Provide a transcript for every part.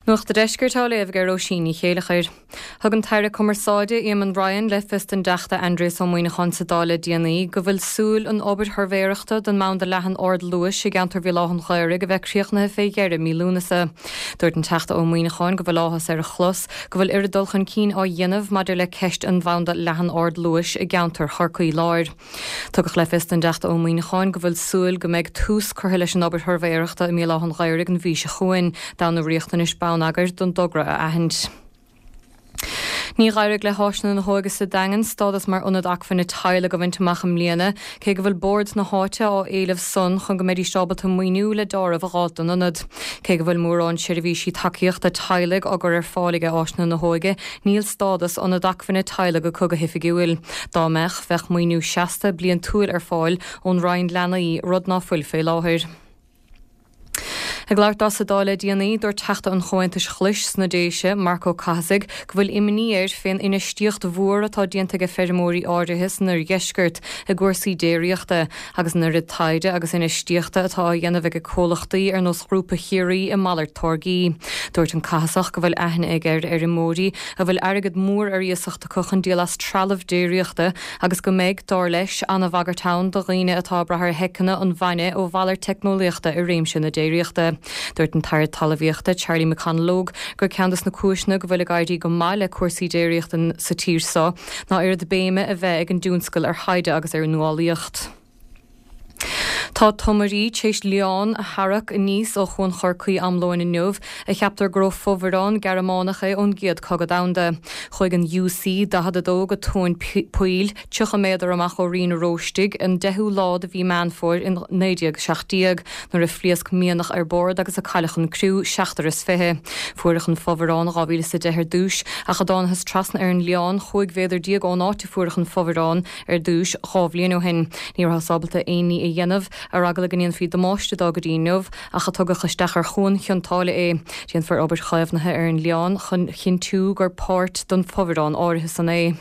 Nuacht a' Deiscirt á léamh ag Róisín Ní Chéileachair. Thug an tAire Cumarsáide, Eamon Ryan, le fios don dTeachta Aindrias Ó Muimhneacháin sa Dáil le déanaí go bhfuil súil an obair shuirbhéireachta don mbanda leathan ard-luais i gceantar Bhéal Átha'n Ghaorthaidh a bheith críochnaithe fé dheireadh mí Lúnasa. Dúirt an Teachta Ó Muimhneacháin go bhfuil áthas air a chlos go bhfuil oiread dul chun cinn á dhéanamh maidir le ceist an bhanda leathan ard-luais i gceantar Chorcaí Láir. Tugadh le fios don dTeachta Ó Muimhneacháin go bhfuil súil go mbeidh tús curtha leis an obair shuirbhéireachta i mBéal Átha'n Ghaorthaidh an mhí seo chugainn, d'fhonn na riachtanais bonneagair don dtogra a aithint. Ní d'éirigh le hÁiseanna na hÓige sa Daingean stádas mar Ionad Acmhainne Teaghlaigh a bhaint amach i mbliana, cé go bhfuil bord na háite á éileamh san chun go mbeidís ábalta maoiniú le deáramh a dh'fháilt don ionad. Cé go bhfuil mórán seirbhísí tacaíochta teaghlaigh á gcur ar fáil aige Áiseanna na hÓige, Níl stádas Ionad Acmhainne Teaghlaigh acu go hoifigiúil. Dá mbeadh, bheadh maoiniú seasta, bliantúil ar fáil ón Roinn Leanaí, rud ná fuil fé láthair. Ag labhairt dó sa Dáil le déanaí, dúirt Teachta an Chomhaontais Ghlais sna Déise, Marc Ó Cathasaigh, go bhfuil imní air fén infheistíocht mhór atá déanta aige feirmeoirí áirithe san oirdheisceart i gcúrsaí déiríochta agus an oiread taighde agus infheistíochta atá á dhéanamh aige comhlachtaí ar nós Ghrúpa Chiarraí i malairt táirgí. Dúirt an Cathasach go bhfuil aithne aige ar fheirmeoirí a bhfuil airgead mór ar iasacht acu chun díol as trealamh déiríochta agus go mbeidh, dar leis, an-bhagairt ann do dhaoine atá ag brath ar sheiceanna an bhainne ó mhalairt teicneolaíochta i réimse na déiríochta. Dúirt an tAire Talmhaíochta, Charlie McConalogue, gur ceann des na cúiseanna go bhfuil ag éirí go maith le cúrsaí déiríochta sa tír seo ná oiread béime a bheith ag an dtionscal ar thaighde agus ar nuálaíocht. Tá tumairí tar éis lián a tharrac aníos ó Chuan Chorcaí am lóin inniu, a cheaptar gur ó fomhuireán Gearmánach é ón gCéad Cogadh Domhanda. Chuaigh an UC 42 go tóin poill, 30 méadar amach ó Rinn an Róistigh, an 10ú lá de mhí Meán Fómhair in 1917, nuair a phléasc mianach ar bord agus a cailleadh an criú, seachtar is 20. Fuaireadh an fomhuireán in 2010 ar dtús, ach a dtánathas trasna ar an lián, 15 mhéadar ón áit a fuaireadh an fomhuireán ar dtús, 2 bhliain ó shin. Ní rabhthas ábalta aon ní a dhéanamh ar eagla go ndéanfaí damáiste dó go dtí inniu, ach a tugadh isteach ar Chuan Chionn tSáile é. Déanfar obair chaomhnaithe ar an lián chun chinntiú gur páirt don fomhuireán áirithe san é.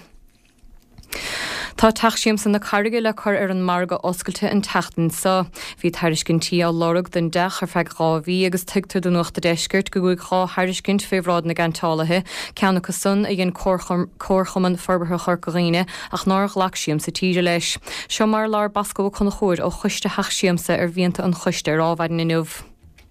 Tá Teach Siamsa na Carraige le cur ar an margadh oscailte an tseachtain seo. Bhí tairiscintí á lorg don dteach ar feadh 2 mhí agus tuigtear do Nuacht a' Deiscirt go gcuaigh 2 thairiscint fé bhráid na gceantálaithe, ceann acu san a dhein Comharchumann Forbartha Chorca Dhuibhne ach nár ghlac Siamsa Tíre leis. Seo mar a labhair Bosco Ó Conchúir ó Choiste Theach Siamsa ar mhianta an choiste ar Adhmhaidin inniu.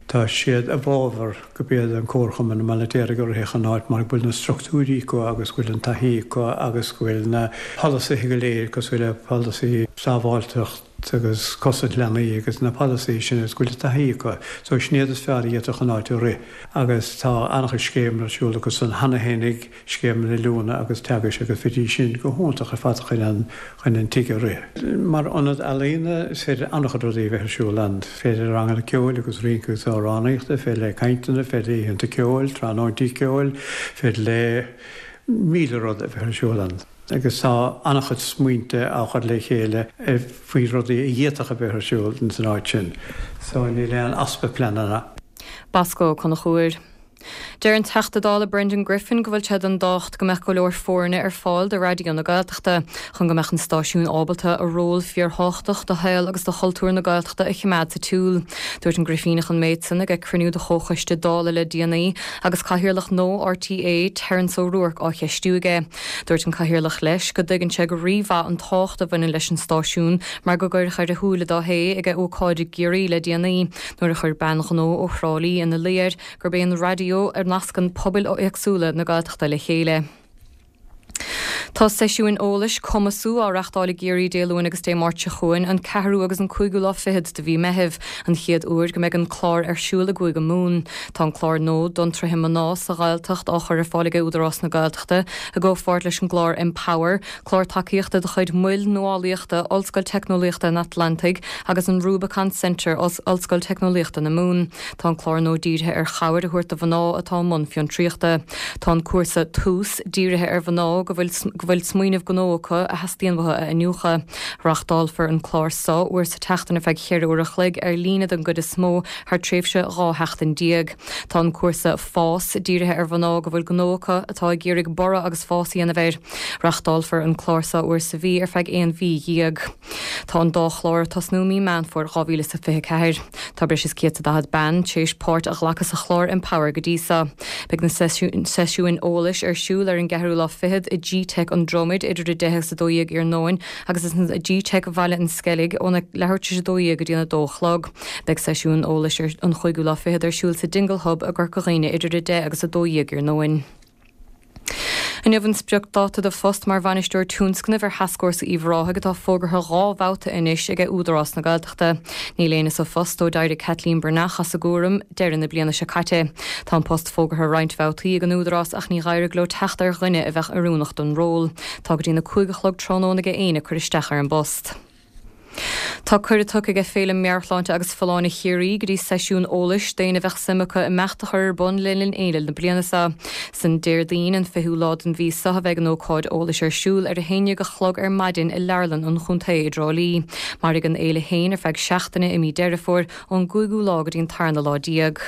Tá siad i bhfabhar gurb iad an Comharchumann i mBaile an Fheirtéaraigh a rithfeadh an áit mar go bhfuil na structúirí acu agus go bhfuil an taithí acu agus go bhfuil na polasaithe go léir cosúil le polasaí sábháilteacht agus cosaint leanaí agus na polasaithe sin agus go bhfuil an taithí acu. So sin iad is fearr a d'fhéadfadh an áit a rith agus tá an-chuid scéimeanna ar siúl acu san cheana fhéinig scéimeanna oiliúna agus teagaisc agus bheidís sin go hiontach ar fad chun an chun an tigh a rith. Mar ionad ealaíona is féidir an-chuid rudaí a bheith ar siúl ann. Is féidir ranganna ceoil agus rince agus amhránaíochta, féidir le cainteanna, féidir le oícheanta ceoil, tráthnóintí ceoil, féidir le míle rud a bheith ar siúl ann. Agus tá an-chuid smaointe á chur le chéile faoi rudaí a d'fhéadfadh a bheith ar siúl ins an áit sin. So níl aon easpa pleananna. Bosco Ó Conchúir. Deir an Teachta Dála Brendan Griffin go bhfuil sé den dtábhacht go mbeadh go leor foirne ar fáil do Raidió na Gaeltachta chun go mbeadh an stáisiún ábalta a ról fíorthábhachtach do shaol agus do chultúr na Gaeltachta a choimeád sa tsiúl. Dúirt an Grifíneach an méid san ag cruinniú de chomhchoiste Dála le déanaí agus Cathaoirleach nua RTÉ, Terence O'Rourke á cheistiú aige. Dúirt an Cathaoirleach leis go dtuigeann sé go rímhaith an tábhacht a bhaineann leis an stáisiún mar go gcuireadh ar a shúile dó é ag ócáid i gCiarraí le déanaí nuair a chuir bean ghnó ó Thrá Lí ina luí air gurb é an raidió a nascann pobail éagsúla na Gaeltachta le chéile. Tá seisiúin eolais Cumasú á reachtáil i gCiarraí Dé Luain agus Dé Máirt seo chugainn, an ceathrú agus an cúigiú lá fichead de mhí Meithimh, an chéad uair go mbeidh an clár ar siúl i gCúige Mumhan. Tá an clár nua d'fhiontraithe mná sa Ghaeltacht á chur ar fáil ag Údarás na Gaeltachta i gcomhpháirt leis an gclár Empower, Clár tacaíochta de chuid Mhoil Nuálaíochta Ollscoil Teicneolaíochta an Atlantaigh agus an Rubicon Centre, Ollscoil Teicneolaíochta na Mumhan. Tá an clár nua dírithe ar chabhair a thabhairt do mhná atá i mbun fiontraíochta. Tá an cúrsa Tús dírithe ar mhná go bhfuil go. go bhfuil smaoineamh gnó acu a theastaíonn uathu a iniúchadh. Reachtálfar an clár so uair sa tseachtain ar feadh cheithre uair a chloig, ar líne don gcuid is mó, thar tréimhse 12 sheachtain. Tá an cúrsa Fás dírithe ar mhná go bhfuil gnó acu atá ag iarraidh borradh agus fás a dhéanamh air. Reachtálfar an clár so uair sa mhí ar feadh 11 mhí. Tá an dá chlár ag tosnú mí Meán Fómhair 2024. Tá breis is 140 bean tar éis páirt a ghlacadh sa chlár Empower go dtí so. Beidh na seisiúin eolais ar siúl ar an gceathrú lá fichead i gteic an Dromaid idir 10 agus 12 iarnóin agus i gteic Bhaile an Sceilg óna leathuair tar éis 12 go dtí an 2 a chlog. Beidh seisiún eolais ar an chúigiú lá fichead ar siúl sa Dingle Hub i gCorca Dhuibhne idir 10 agus 12 iarnóin. Inniu an spriocdháta do phost mar bhainisteoir tionscnaimh ar Thascfhórsa Uíbh Ráthaigh atá fógartha 2 bhabhta anois ag Údarás na Gaeltachta. Níl éinne sa phost ó d'éirigh Kathleen Breathnach as a gcúram deireadh na bliana seo caite. Tá an post fógartha roinnt bhabhtaí ag an Údarás ach ní d'éirigh leo teacht ar dhuine a bheadh oiriúnach don ról. Tá go dtí na 5 a chlog tráthnóna ag éinne cur isteach ar an bpost. Tá cuireadh tugtha aige Féile Meabhairshláinte agus Folláine Chiarraí go dtí seisiún eolais d'éinne a bheadh suim acu imeacht a chur ar bun le linn fhéile na bliana seo. San Déardaoin, an 20ú lá den mhí seo a bheidh an ócáid eolais ar siúl ar 11 a chlog ar maidin i Leabharlann an Chontae i dTrá Lí. Mairfidh an fhéile féin ar feadh seachtaine i mí Deireadh Fómhair, ón gcúigiú lá go dtí an tarna lá déag.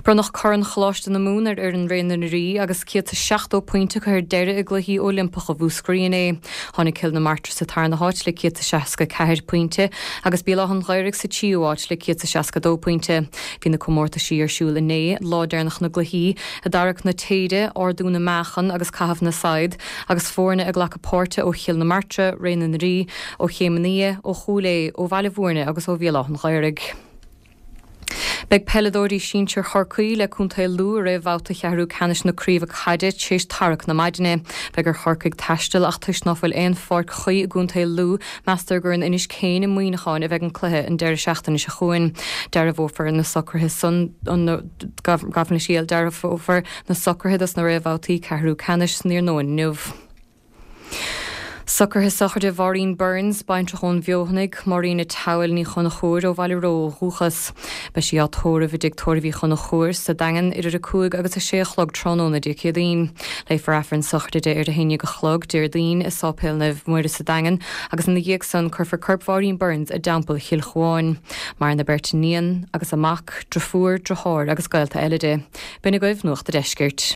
Bronnadh Corn Choláiste na Mumhan ar fhoireann Ré na nDoirí agus 170 pointe acu ar deireadh i gCluichí Oilimpeacha Mhúscraí inné. Tháinig Cill na Martra sa tarna háit le 164 pointe agus Béal Átha an Ghaorthaidh sa tríú háit le 162 pointe. Bhí na comórtaisí ar siúl inné, lá deireanach na gcluichí, i dtarrac na téide, ardú na meáchan agus caitheamh na saighead, agus foirne ag glacadh páirte ó Chill na Martra, Ré na nDoirí, ó Chéim an Fhia, ó Chúil Aodha, ó Bhaile Bhúirne agus ó Bhéal Átha an Ghaorthaidh. Beidh peileadóirí sinsir Chorcaí le Contae Lú i réamhbhabhta cheathrú ceannais na craoibhe caide tar éis tarrac na maidine. Beidh ar Chorcaigh taisteal ach toisc ná fuil aon pháirc chuí i gContae Lú, meastar gur in Inis Céin i Muineachán a bheidh an cluiche an deireadh seachtaine seo chugainn. Dearbhófar na socruithe san gabh mo leithscéal, dearbhófar na socruithe dos na réamhbhabhtaí ceathrú ceannais san iarnóin inniu. Socruithe sochraide Mháirín Burns, baintreach ón bhFeothanaigh, Máirín a' tSabhail Ní Chonchúir ó Bhaile Ró ó dhúchas. Beidh sí á tórramh i dTigh Tórraimh Uí Chonchúir sa Daingean idir 5 agus 6 a chlog tráthnóna Dé Céadaoin. Léifear Aifreann sochraide di ar a 11 a chlog Déardaoin i Sáipéal Naomh Muire sa Daingean agus ina dhiaidh san cuirfear corp Mháirín Burns i dTeampall Chill Chuáin. Maireann a beirt iníon agus a mac, driofúr, driotháir agus gaolta eile di. B'in agaibh Nuacht a' Deiscirt.